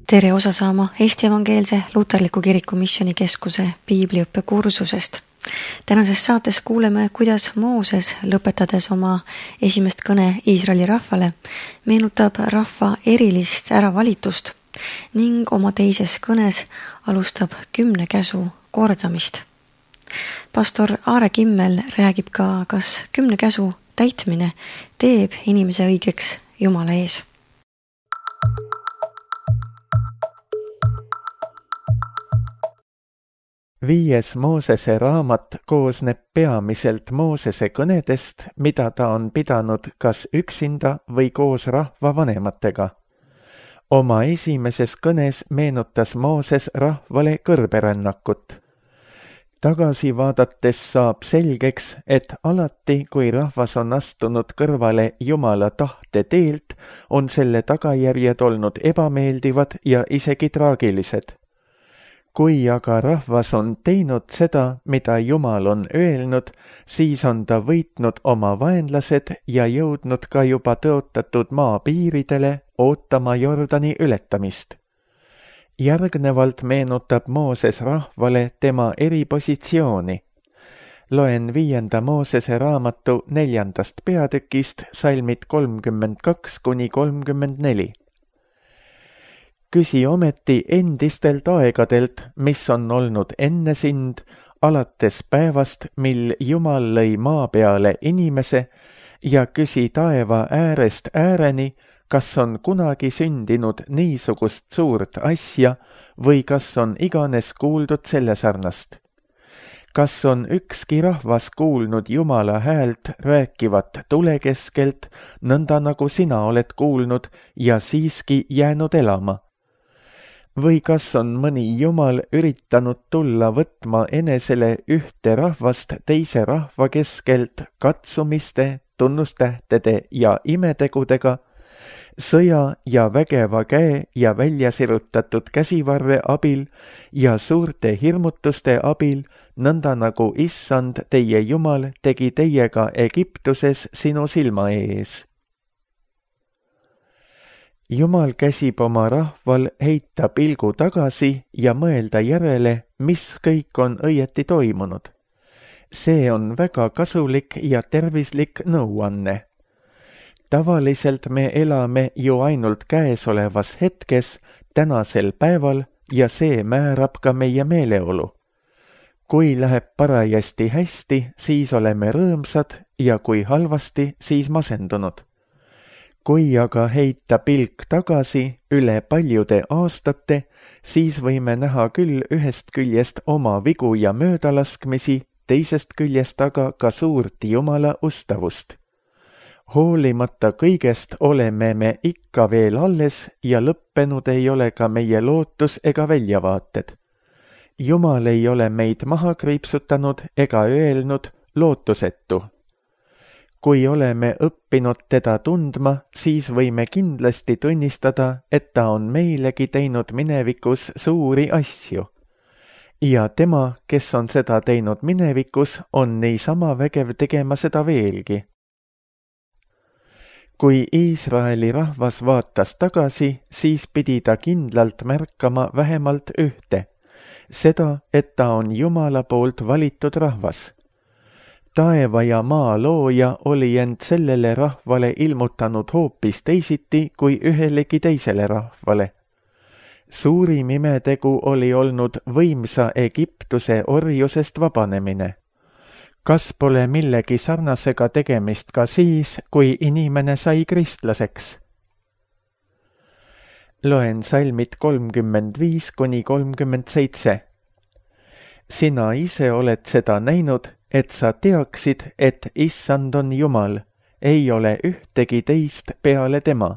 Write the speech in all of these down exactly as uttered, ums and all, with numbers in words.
Tere osa saama Eesti Evangeelse Luterliku Kiriku Missioonikeskuse piibliõppe kursusest. Tänases saates kuuleme, kuidas Mooses, lõpetades oma esimest kõne Iisraeli rahvale, meenutab rahva erilist äravalitust ning oma teises kõnes alustab kümne käsu kordamist. Pastor Aare Kimmel räägib ka, kas kümne käsu täitmine teeb inimese õigeks Jumala ees. Viies Moosese raamat koosneb peamiselt Moosese kõnedest, mida ta on pidanud kas üksinda või koos rahva vanematega. Oma esimeses kõnes meenutas Mooses rahvale kõrberännakut. Tagasi vaadates saab selgeks, et alati, kui rahvas on astunud kõrvale Jumala tahte teelt, on selle tagajärjed olnud ebameeldivad ja isegi traagilised. Kui aga rahvas on teinud seda, mida Jumal on öelnud, siis on ta võitnud oma vaenlased ja jõudnud ka juba tõotatud maa piiridele ootama Jordani ületamist. Järgnevalt meenutab Mooses rahvale tema eripositsiooni. Loen viienda Moosese raamatu neljandast peatükist salmid kolmkümmend kaks kuni kolmkümmend neli. Küsi ometi endistelt aegadelt, mis on olnud enne sind, alates päevast, mil Jumal lõi maa peale inimese, ja küsi taeva äärest ääreni, kas on kunagi sündinud niisugust suurt asja või kas on iganes kuuldud selle sarnast. Kas on ükski rahvas kuulnud Jumala häält rääkivat tule keskelt, nõnda nagu sina oled kuulnud ja siiski jäänud elama? Või kas on mõni Jumal üritanud tulla võtma enesele ühte rahvast teise rahva keskelt katsumiste, tunnustähtede ja imetegudega, sõja ja vägeva käe ja väljasirutatud käsivarre abil ja suurte hirmutuste abil, nõnda nagu Issand teie Jumal tegi teiega Egiptuses sinu silma ees. Jumal käsib oma rahval heita pilgu tagasi ja mõelda järele, mis kõik on õieti toimunud. See on väga kasulik ja tervislik nõuanne. Tavaliselt me elame ju ainult käesolevas hetkes, tänasel päeval, ja see määrab ka meie meeleolu. Kui läheb parajasti hästi, siis oleme rõõmsad ja kui halvasti, siis masendunud. Kui aga heita pilk tagasi üle paljude aastate, siis võime näha küll ühest küljest oma vigu ja möödalaskmisi, teisest küljest aga ka suurt Jumala ustavust. Hoolimata kõigest oleme me ikka veel alles ja lõppenud ei ole ka meie lootus ega väljavaated. Jumal ei ole meid maha kriipsutanud ega öelnud lootusetu. Kui oleme õppinud teda tundma, siis võime kindlasti tunnistada, et ta on meilegi teinud minevikus suuri asju. Ja tema, kes on seda teinud minevikus, on niisama vägev tegema seda veelgi. Kui Iisraeli rahvas vaatas tagasi, siis pidi ta kindlalt märkama vähemalt ühte, seda, et ta on Jumala poolt valitud rahvas. Taeva ja maa looja oli end sellele rahvale ilmutanud hoopis teisiti kui ühelegi teisele rahvale. Suurim imetegu oli olnud võimsa Egiptuse orjusest vabanemine. Kas pole millegi sarnasega tegemist ka siis, kui inimene sai kristlaseks? Loen salmid kolmkümmend viis kuni kolmkümmend seitse. Sina ise oled seda näinud, et sa teaksid, et Issand on Jumal, ei ole ühtegi teist peale tema.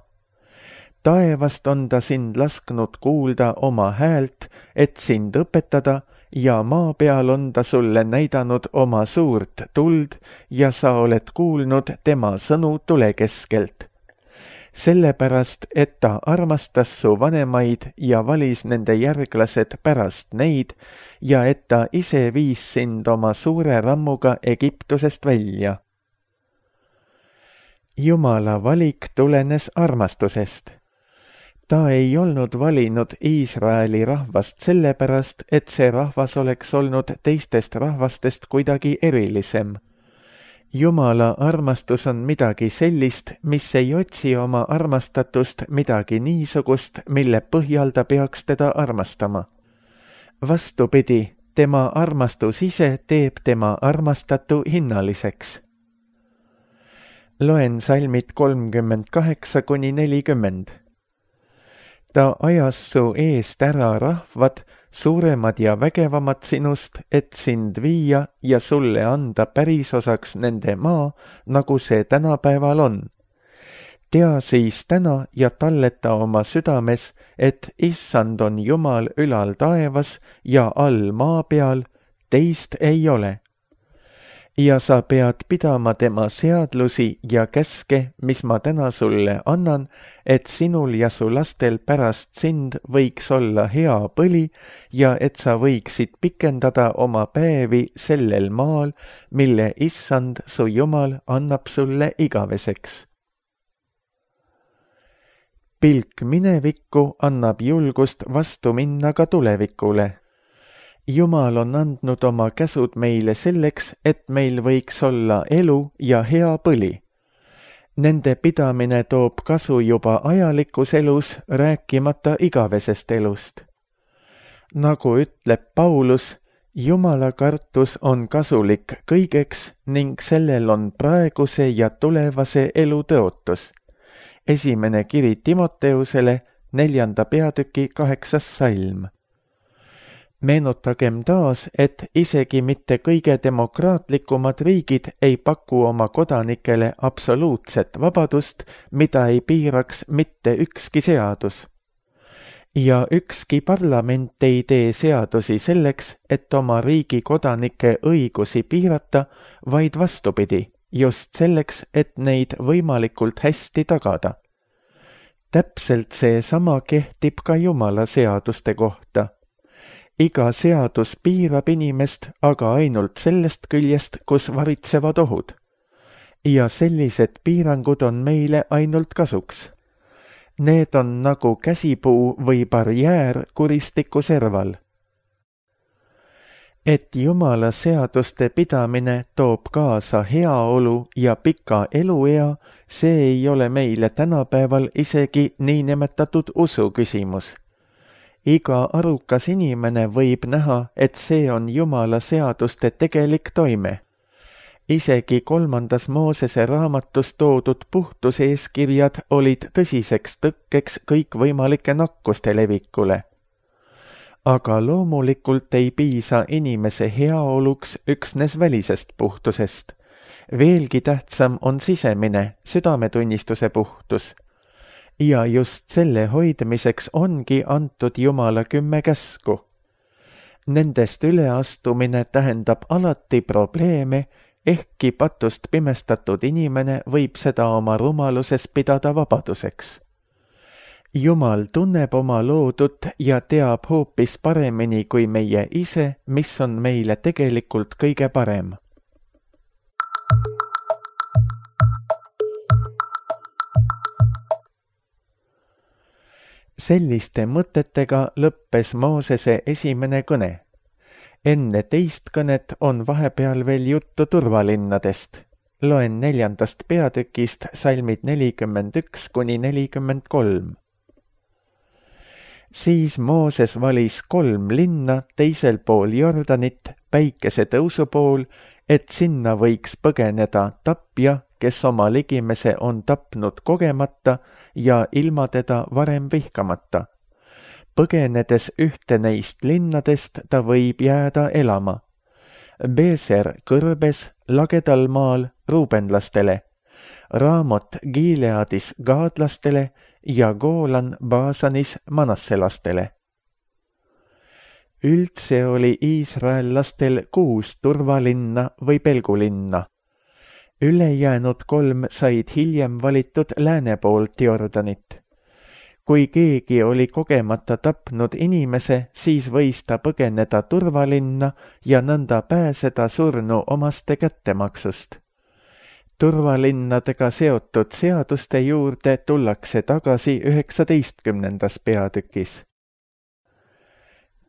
Taevast on ta sind lasknud kuulda oma häält, et sind õpetada, ja maa peal on ta sulle näidanud oma suurt tuld ja sa oled kuulnud tema sõnu tule keskelt. Sellepärast, et ta armastas su vanemaid ja valis nende järglased pärast neid ja et ta ise viis sind oma suure rammuga Egiptusest välja. Jumala valik tulenes armastusest. Ta ei olnud valinud Iisraeli rahvast sellepärast, et see rahvas oleks olnud teistest rahvastest kuidagi erilisem. Jumala armastus on midagi sellist, mis ei otsi oma armastatust midagi niisugust, mille põhjal ta peaks teda armastama. Vastupidi, tema armastus ise teeb tema armastatu hinnaliseks. Loen salmid kolmkümmend kaheksa kuni nelikümmend. Ta ajas su eest ära rahvad, suuremad ja vägevamad sinust, et sind viia ja sulle anda pärisosaks nende maa, nagu see tänapäeval on. Tea siis täna ja talleta oma südames, et issand on Jumal ülal taevas ja all maa peal, teist ei ole. Ja sa pead pidama tema seadlusi ja käske, mis ma täna sulle annan, et sinul ja su lastel pärast sind võiks olla hea põli ja et sa võiksid pikendada oma päevi sellel maal, mille issand su Jumal annab sulle igaveseks. Pilk minevikku annab julgust vastu minna ka tulevikule. Jumal on andnud oma käsud meile selleks, et meil võiks olla elu ja hea põli. Nende pidamine toob kasu juba ajalikus elus, rääkimata igavesest elust. Nagu ütleb Paulus, Jumala kartus on kasulik kõigeks ning sellel on praeguse ja tulevase elu tõotus. Esimene kiri Timoteusele, neljanda peatüki kaheksas salm. Meenutagem taas, et isegi mitte kõige demokraatlikumad riigid ei paku oma kodanikele absoluutset vabadust, mida ei piiraks mitte ükski seadus. Ja ükski parlament ei tee seadusi selleks, et oma riigi kodanike õigusi piirata, vaid vastupidi, just selleks, et neid võimalikult hästi tagada. Täpselt see sama kehtib ka Jumala seaduste kohta. Iga seadus piirab inimest, aga ainult sellest küljest, kus varitsevad ohud. Ja sellised piirangud on meile ainult kasuks. Need on nagu käsipuu või barjäär kuristiku serval. Et Jumala seaduste pidamine toob kaasa heaolu ja pika eluea, see ei ole meile tänapäeval isegi niinimetatud usu küsimus. Iga arukas inimene võib näha, et see on Jumala seaduste tegelik toime. Isegi kolmandas Moosese raamatus toodud puhtuseeskirjad olid tõsiseks tõkkeks kõikvõimalike nakkuste levikule. Aga loomulikult ei piisa inimese heaoluks üksnes välisest puhtusest. Veelgi tähtsam on sisemine, südametunnistuse puhtus. Ja just selle hoidmiseks ongi antud Jumala kümme käsku. Nendest üleastumine tähendab alati probleeme, ehkki patust pimestatud inimene võib seda oma rumaluses pidada vabaduseks. Jumal tunneb oma loodut ja teab hoopis paremini kui meie ise, mis on meile tegelikult kõige parem. Selliste mõtetega lõppes Moosese esimene kõne. Enne teist kõnet on vahepeal veel juttu turvalinnadest. Loen neljandast peatükist salmid nelikümmend üks kuni nelikümmend kolm. Siis Mooses valis kolm linna teisel pool Jordanit, päikese tõusu pool, et sinna võiks põgeneda tapja, kes oma ligimese on tapnud kogemata ja ilma teda varem vihkamata. Põgenedes ühte neist linnadest ta võib jääda elama. Beeser kõrbes lagedal maal ruubenlastele, Raamot Gileadis gaadlastele ja Goolan Baasanis manasselastele. Üldse oli iisraellastel kuus turvalinna või pelgulinna. Ülejäänud kolm said hiljem valitud lääne poolt Jordanit. Kui keegi oli kogemata tapnud inimese, siis võis ta põgeneda turvalinna ja nõnda pääseda surnu omaste kättemaksust. turvalinnadega seotud seaduste juurde tullakse tagasi üheksateistkümnendas peatükis.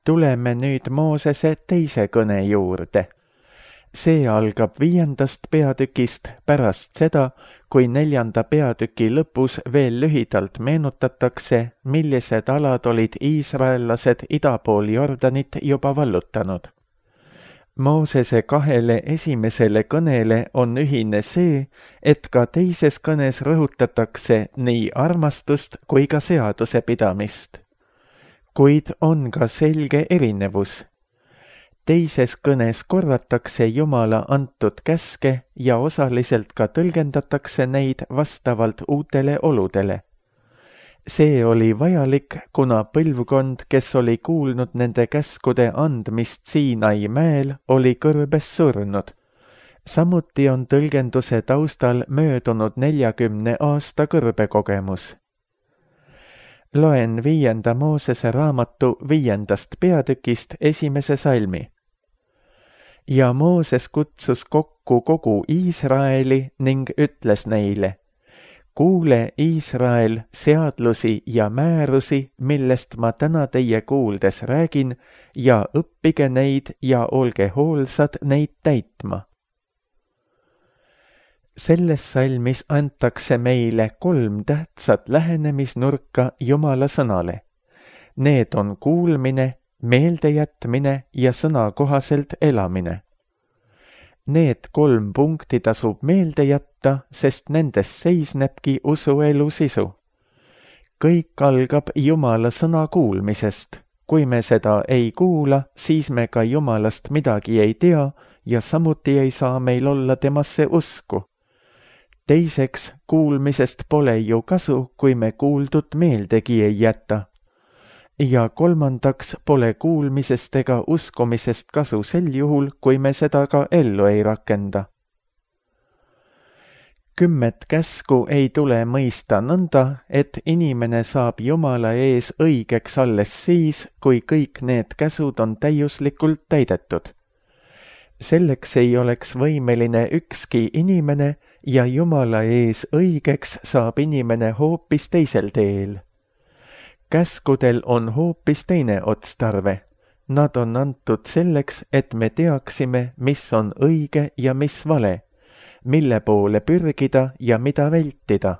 Tuleme nüüd Moosese teise kõne juurde. See algab viiendast peatükist pärast seda, kui neljanda peatüki lõpus veel lühidalt meenutatakse, millised alad olid iisraellased ida pool Jordanit juba vallutanud. Moosese kahele esimesele kõnele on ühine see, et ka teises kõnes rõhutatakse nii armastust kui ka seaduse pidamist. Kuid on ka selge erinevus. Teises kõnes korratakse Jumala antud käske ja osaliselt ka tõlgendatakse neid vastavalt uutele oludele. See oli vajalik, kuna põlvkond, kes oli kuulnud nende käskude andmist Siinai mäel, oli kõrbes surnud. Samuti on tõlgenduse taustal möödunud neljakümne aasta kõrbekogemus. Loen viienda Moosese raamatu viiendast peatükist esimese salmi. Ja Mooses kutsus kokku kogu Iisraeli ning ütles neile: kuule, Iisrael, seadlusi ja määrusi, millest ma täna teie kuuldes räägin, ja õppige neid ja olge hoolsad neid täitma. Selles salmis antakse meile kolm tähtsat lähenemisnurka Jumala sõnale. Need on kuulmine, meeldejätmine ja sõna kohaselt elamine. Need kolm punkti tasub meelde jätta, sest nendes seisnebki usuelu sisu. Kõik algab Jumala sõna kuulmisest. Kui me seda ei kuula, siis me ka Jumalast midagi ei tea ja samuti ei saa meil olla temasse usku. Teiseks, kuulmisest pole ju kasu, kui me kuuldut meeldegi ei jäta. Ja kolmandaks, pole kuulmisest ega uskumisest kasu sel juhul, kui me seda ka ellu ei rakenda. Kümmet käsku ei tule mõista nõnda, et inimene saab Jumala ees õigeks alles siis, kui kõik need käsud on täiuslikult täidetud. Selleks ei oleks võimeline ükski inimene ja Jumala ees õigeks saab inimene hoopis teisel teel. Käskudel on hoopis teine otstarve. Nad on antud selleks, et me teaksime, mis on õige ja mis vale, mille poole pürgida ja mida vältida.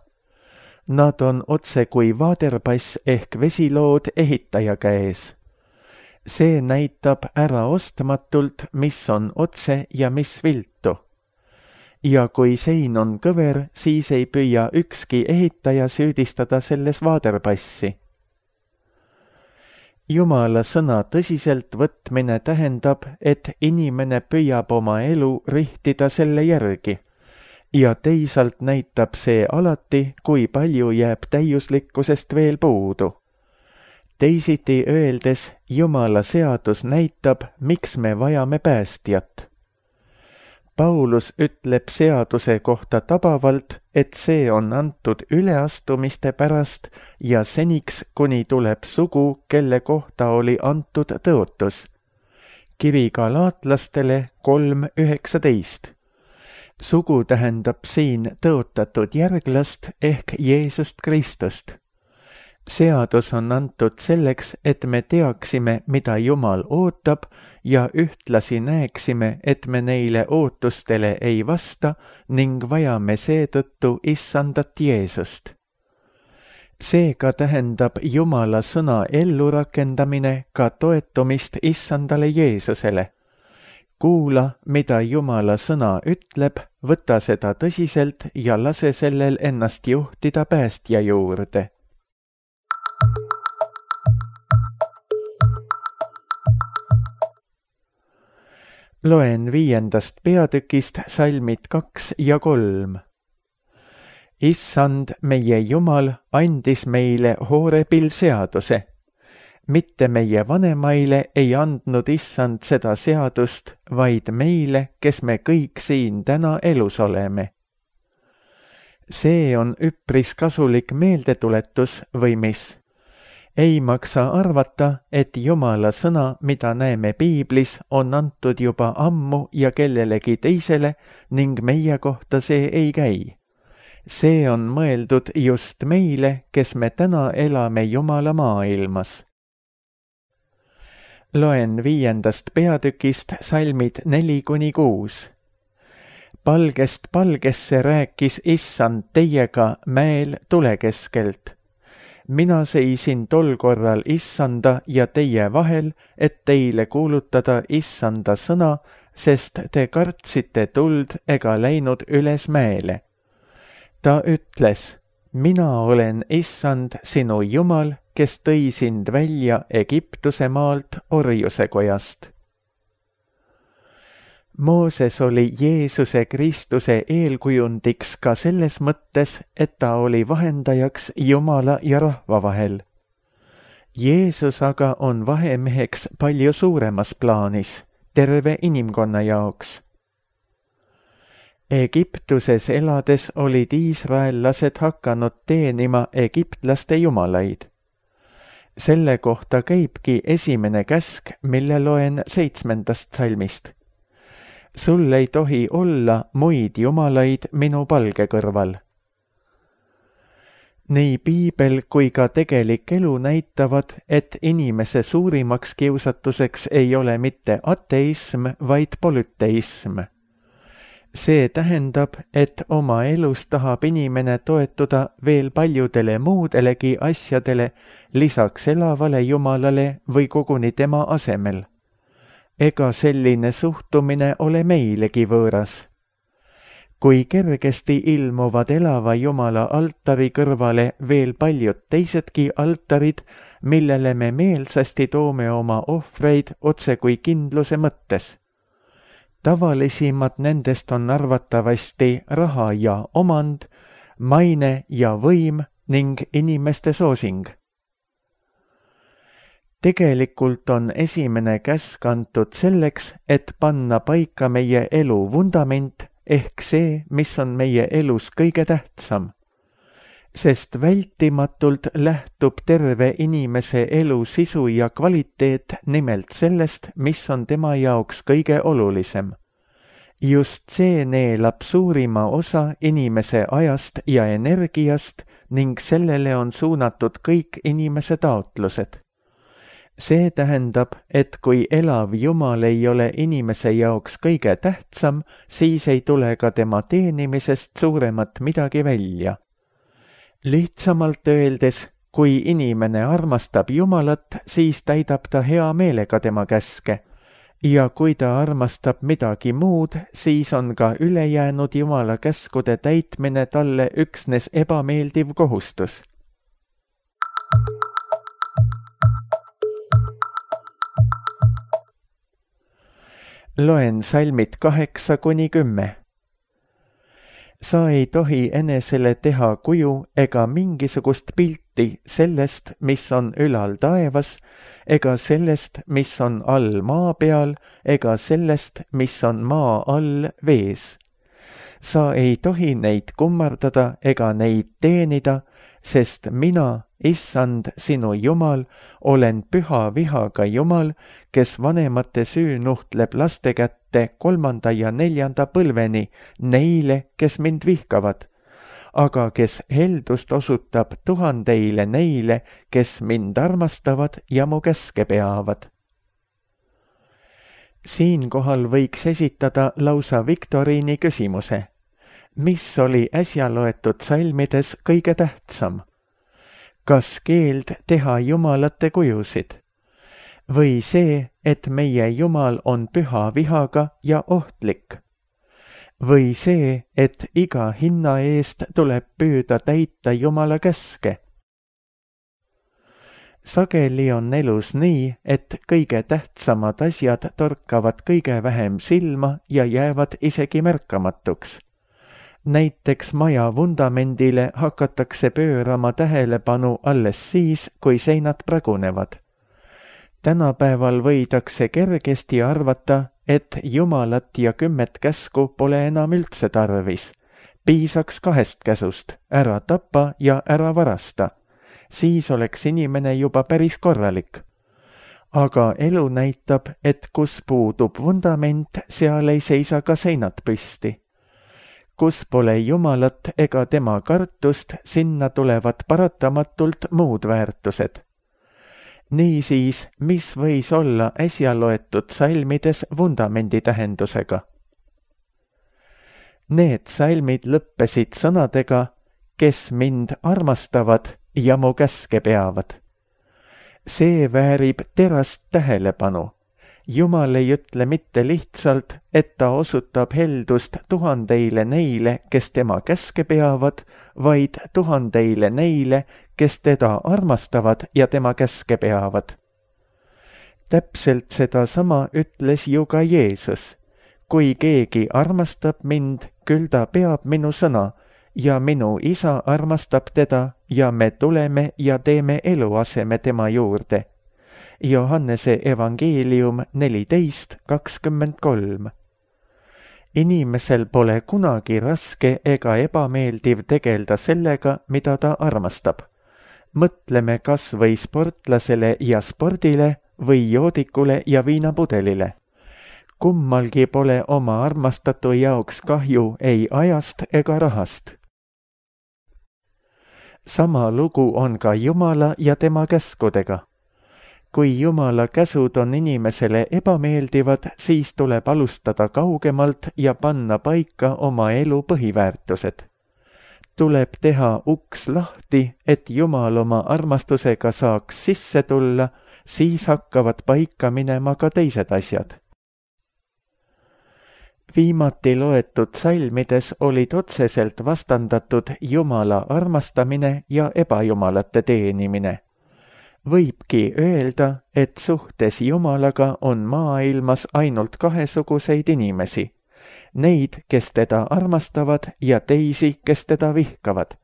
Nad on otse kui vaaderpass ehk vesilood ehitaja käes. See näitab ära ostmatult, mis on otse ja mis viltu. Ja kui sein on kõver, siis ei püüa ükski ehitaja süüdistada selles vaaderpassi. Jumala sõna tõsiselt võtmine tähendab, et inimene püüab oma elu rihtida selle järgi ja teisalt näitab see alati, kui palju jääb täiuslikkusest veel puudu. Teisiti öeldes, Jumala seadus näitab, miks me vajame päästjat. Paulus ütleb seaduse kohta tabavalt, et see on antud üleastumiste pärast ja seniks, kuni tuleb sugu, kelle kohta oli antud tõotus. Kiri galaatlastele kolm üheksateist. Sugu tähendab siin tõotatud järglast ehk Jeesust Kristust. Seadus on antud selleks, et me teaksime, mida Jumal ootab ja ühtlasi näeksime, et me neile ootustele ei vasta ning vajame seetõttu issandat Jeesust. Seega tähendab Jumala sõna ellurakendamine ka toetumist issandale Jeesusele. Kuula, mida Jumala sõna ütleb, võta seda tõsiselt ja lase sellel ennast juhtida päästja juurde. Loen viiendast peatükist salmid kaks ja kolm. Issand, meie Jumal, andis meile Hoorebil seaduse. Mitte meie vanemaile ei andnud Issand seda seadust, vaid meile, kes me kõik siin täna elus oleme. See on üpris kasulik meeldetuletus või mis? ei maksa arvata, et Jumala sõna, mida näeme piiblis, on antud juba ammu ja kellelegi teisele ning meie kohta see ei käi. See on mõeldud just meile, kes me täna elame Jumala maailmas. Loen viiendast peatükist salmid neli kuni kuus. Palgest palgesse rääkis Issand teiega mäel tule keskelt. Mina seisin tol korral Issanda ja teie vahel, et teile kuulutada Issanda sõna, sest te kartsite tuld ega läinud üles mäele. Ta ütles, mina olen Issand sinu Jumal, kes tõi sind välja Egiptuse maalt orjuse kojast. Mooses oli Jeesuse Kristuse eelkujundiks ka selles mõttes, et ta oli vahendajaks Jumala ja rahva vahel. Jeesus aga on vahemeheks palju suuremas plaanis, terve inimkonna jaoks. Egiptuses elades olid iisraellased hakanud teenima egiptlaste jumalaid. Selle kohta käibki esimene käsk, mille loen seitsmendast salmist. Sul ei tohi olla muid jumalaid minu palge kõrval. Nii piibel kui ka tegelik elu näitavad, et inimese suurimaks kiusatuseks ei ole mitte ateism, vaid polüteism. See tähendab, et oma elus tahab inimene toetuda veel paljudele muudelegi asjadele lisaks elavale Jumalale või koguni tema asemel. Ega selline suhtumine ole meilegi võõras. Kui kergesti ilmuvad elava Jumala altari kõrvale veel paljud teisedki altarid, millele me meelsasti toome oma ohvreid otse kui kindluse mõttes. Tavalisimad nendest on arvatavasti raha ja omand, maine ja võim ning inimeste soosing. Tegelikult on esimene käsk antud selleks, et panna paika meie elu vundament ehk see, mis on meie elus kõige tähtsam. Sest vältimatult lähtub terve inimese elu sisu ja kvaliteet nimelt sellest, mis on tema jaoks kõige olulisem. Just see neelab suurima osa inimese ajast ja energiast ning sellele on suunatud kõik inimese taotlused. See tähendab, et kui elav Jumal ei ole inimese jaoks kõige tähtsam, siis ei tule ka tema teenimisest suuremat midagi välja. Lihtsamalt öeldes, kui inimene armastab Jumalat, siis täidab ta hea meelega tema käske. Ja kui ta armastab midagi muud, siis on ka ülejäänud Jumala käskude täitmine talle üksnes ebameeldiv kohustus. Loen salmid kaheksa kuni kümme. Sa ei tohi enesele teha kuju ega mingisugust pilti sellest, mis on ülal taevas, ega sellest, mis on all maa peal, ega sellest, mis on maa all vees. Sa ei tohi neid kummardada ega neid teenida, sest mina, Issand, sinu Jumal, olen püha vihaga Jumal, kes vanemate süü nuhtleb laste kätte kolmanda ja neljanda põlveni neile, kes mind vihkavad, aga kes heldust osutab tuhandeile neile, kes mind armastavad ja mu käske peavad. Siinkohal võiks esitada lausa viktoriini küsimuse. Mis oli äsja loetud salmides kõige tähtsam? Kas keeld teha jumalate kujusid? Või see, et meie Jumal on püha vihaga ja ohtlik? Või see, et iga hinna eest tuleb püüda täita Jumala käske? Sageli on elus nii, et kõige tähtsamad asjad torkavad kõige vähem silma ja jäävad isegi märkamatuks. Näiteks maja vundamendile hakatakse pöörama tähelepanu alles siis, kui seinad pragunevad. Tänapäeval võidakse kergesti arvata, et Jumalat ja kümmet käsku pole enam üldse tarvis. Piisaks kahest käsust, ära tapa ja ära varasta. siis oleks inimene juba päris korralik. Aga elu näitab, et kus puudub vundament, seal ei seisa ka seinad püsti. Kus pole Jumalat ega tema kartust, sinna tulevad paratamatult muud väärtused. Niisiis, mis võis olla äsja loetud salmides vundamendi tähendusega? Need salmid lõppesid sõnadega, kes mind armastavad ja mu käske peavad. See väärib terast tähelepanu. Jumal ei ütle mitte lihtsalt, et ta osutab heldust tuhandeile neile, kes tema käske peavad, vaid tuhandeile neile, kes teda armastavad ja tema käske peavad. Täpselt seda sama ütles ju ka Jeesus. Kui keegi armastab mind, küll ta peab minu sõna, ja minu isa armastab teda ja me tuleme ja teeme eluaseme tema juurde. Johannese evangeelium neliteist kakskümmend kolm. Inimesel pole kunagi raske ega ebameeldiv tegelda sellega, mida ta armastab. Mõtleme kas või sportlasele ja spordile või joodikule ja viinapudelile. Kummalgi pole oma armastatu jaoks kahju ei ajast ega rahast. Sama lugu on ka Jumala ja tema käskudega. Kui Jumala käsud on inimesele ebameeldivad, siis tuleb alustada kaugemalt ja panna paika oma elu põhiväärtused. Tuleb teha uks lahti, et Jumal oma armastusega saaks sisse tulla, siis hakkavad paika minema ka teised asjad. Viimati loetud salmides olid otseselt vastandatud Jumala armastamine ja ebajumalate teenimine. Võibki öelda, et suhtes Jumalaga on maailmas ainult kahesuguseid inimesi. Neid, kes teda armastavad ja teisi, kes teda vihkavad.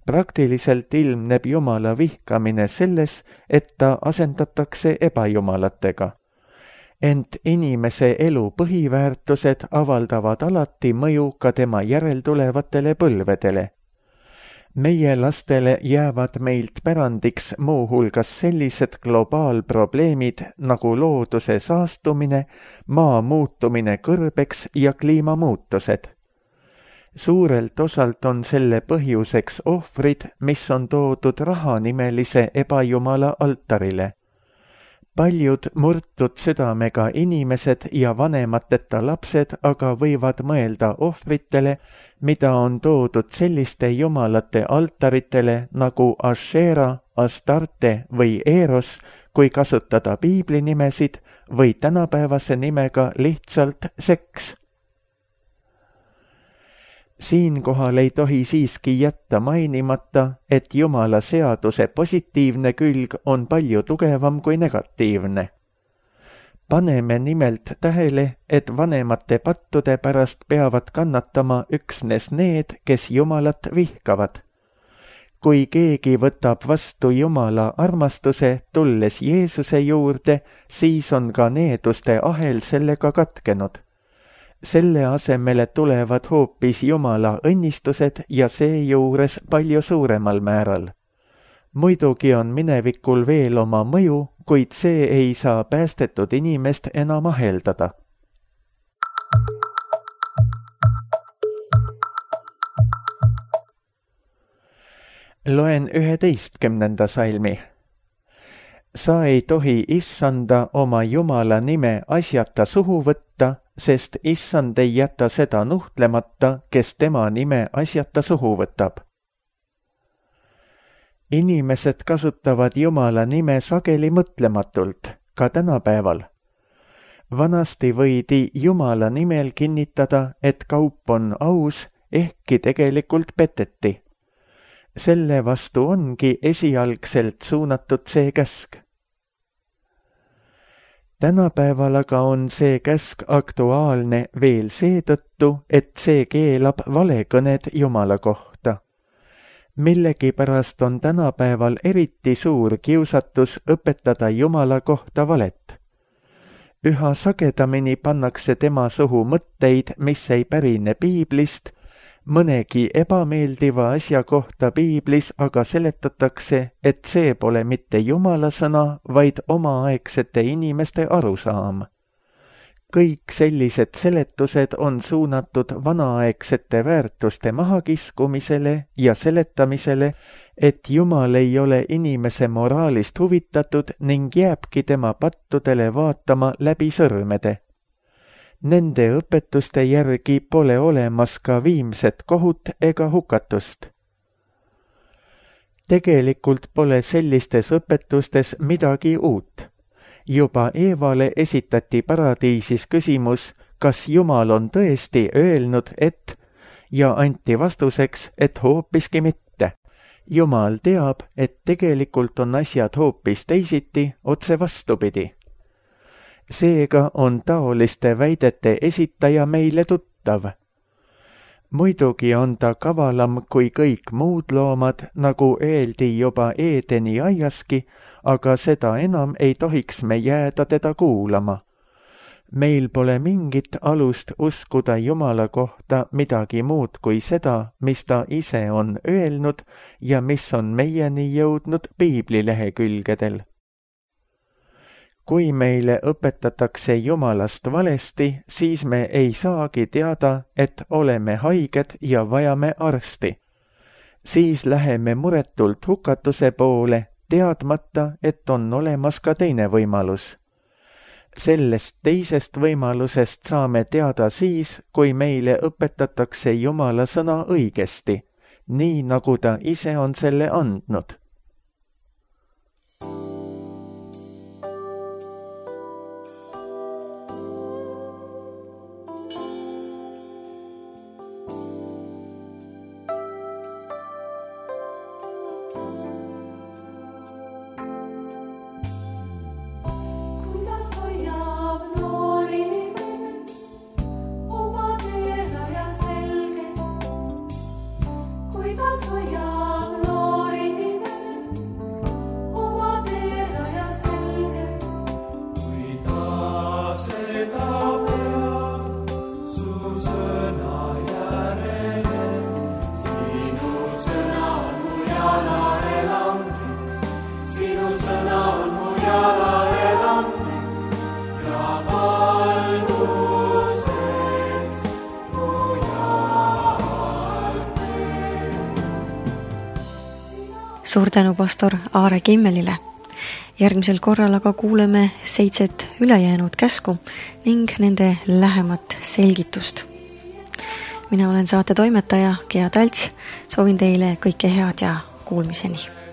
Praktiliselt ilmneb Jumala vihkamine selles, et ta asendatakse ebajumalatega. Ent inimese elu põhiväärtused avaldavad alati mõju ka tema järeltulevatele põlvedele. Meie lastele jäävad meilt pärandiks muuhulgas sellised globaalprobleemid nagu looduse saastumine, maa muutumine kõrbeks ja kliimamuutused. Suurelt osalt on selle põhjuseks ohvrid, mis on toodud rahanimelise ebajumala altarile. Paljud murtud südamega inimesed ja vanemateta lapsed aga võivad mõelda ohvritele, mida on toodud selliste jumalate altaritele nagu Ashera, Astarte või Eros, kui kasutada piiblinimesid või tänapäevase nimega lihtsalt seks. Siinkohal ei tohi siiski jätta mainimata, et Jumala seaduse positiivne külg on palju tugevam kui negatiivne. Paneme nimelt tähele, et vanemate pattude pärast peavad kannatama üksnes need, kes Jumalat vihkavad. Kui keegi võtab vastu Jumala armastuse, tulles Jeesuse juurde, siis on ka needuste ahel sellega katkenud. Selle asemele tulevad hoopis Jumala õnnistused ja seejuures palju suuremal määral. Muidugi on minevikul veel oma mõju, kuid see ei saa päästetud inimest enam aheldada. Loen üheteistkümnenda salmi. Sa ei tohi issanda oma Jumala nime asjata suhu võtta, sest issand ei jäta seda nuhtlemata, kes tema nime asjata suhu võtab. Inimesed kasutavad Jumala nime sageli mõtlematult, ka tänapäeval. Vanasti võidi Jumala nimel kinnitada, et kaup on aus, ehkki tegelikult peteti. Selle vastu ongi esialgselt suunatud see käsk. Tänapäeval aga on see käsk aktuaalne veel seetõttu, et see keelab valekõned Jumala kohta. Millegipärast on tänapäeval eriti suur kiusatus õpetada Jumala kohta valet. Üha sagedamini pannakse tema suhu mõtteid, mis ei pärine piiblist, mõnegi ebameeldiva asja kohta piiblis aga seletatakse, et see pole mitte Jumala sõna, vaid omaaegsete inimeste arusaam. Kõik sellised seletused on suunatud vanaaegsete väärtuste mahakiskumisele ja seletamisele, et Jumal ei ole inimese moraalist huvitatud ning jääbki tema pattudele vaatama läbi sõrmede. Nende õpetuste järgi pole olemas ka viimset kohut ega hukatust. Tegelikult pole sellistes õpetustes midagi uut. Juba Eevale esitati paradiisis küsimus, kas Jumal on tõesti öelnud, et, ja anti vastuseks, et hoopiski mitte. Jumal teab, et tegelikult on asjad hoopis teisiti, otse vastupidi. Seega on taoliste väidete esitaja meile tuttav. Muidugi on ta kavalam kui kõik muud loomad, nagu öeldi juba Eedeni aiaski, aga seda enam ei tohiks me jääda teda kuulama. Meil pole mingit alust uskuda Jumala kohta midagi muud kui seda, mis ta ise on öelnud ja mis on meieni jõudnud piiblilehekülgedel. Kui meile õpetatakse Jumalast valesti, siis me ei saagi teada, et oleme haiged ja vajame arsti. Siis läheme muretult hukatuse poole, teadmata, et on olemas ka teine võimalus. Sellest teisest võimalusest saame teada siis, kui meile õpetatakse Jumala sõna õigesti, nii nagu ta ise on selle andnud. Suur tänu pastor Aare Kimmelile. Järgmisel korral aga kuuleme seitset ülejäänud käsku ning nende lähemat selgitust. Mina olen saate toimetaja Gea Talts, soovin teile kõike head ja kuulmiseni.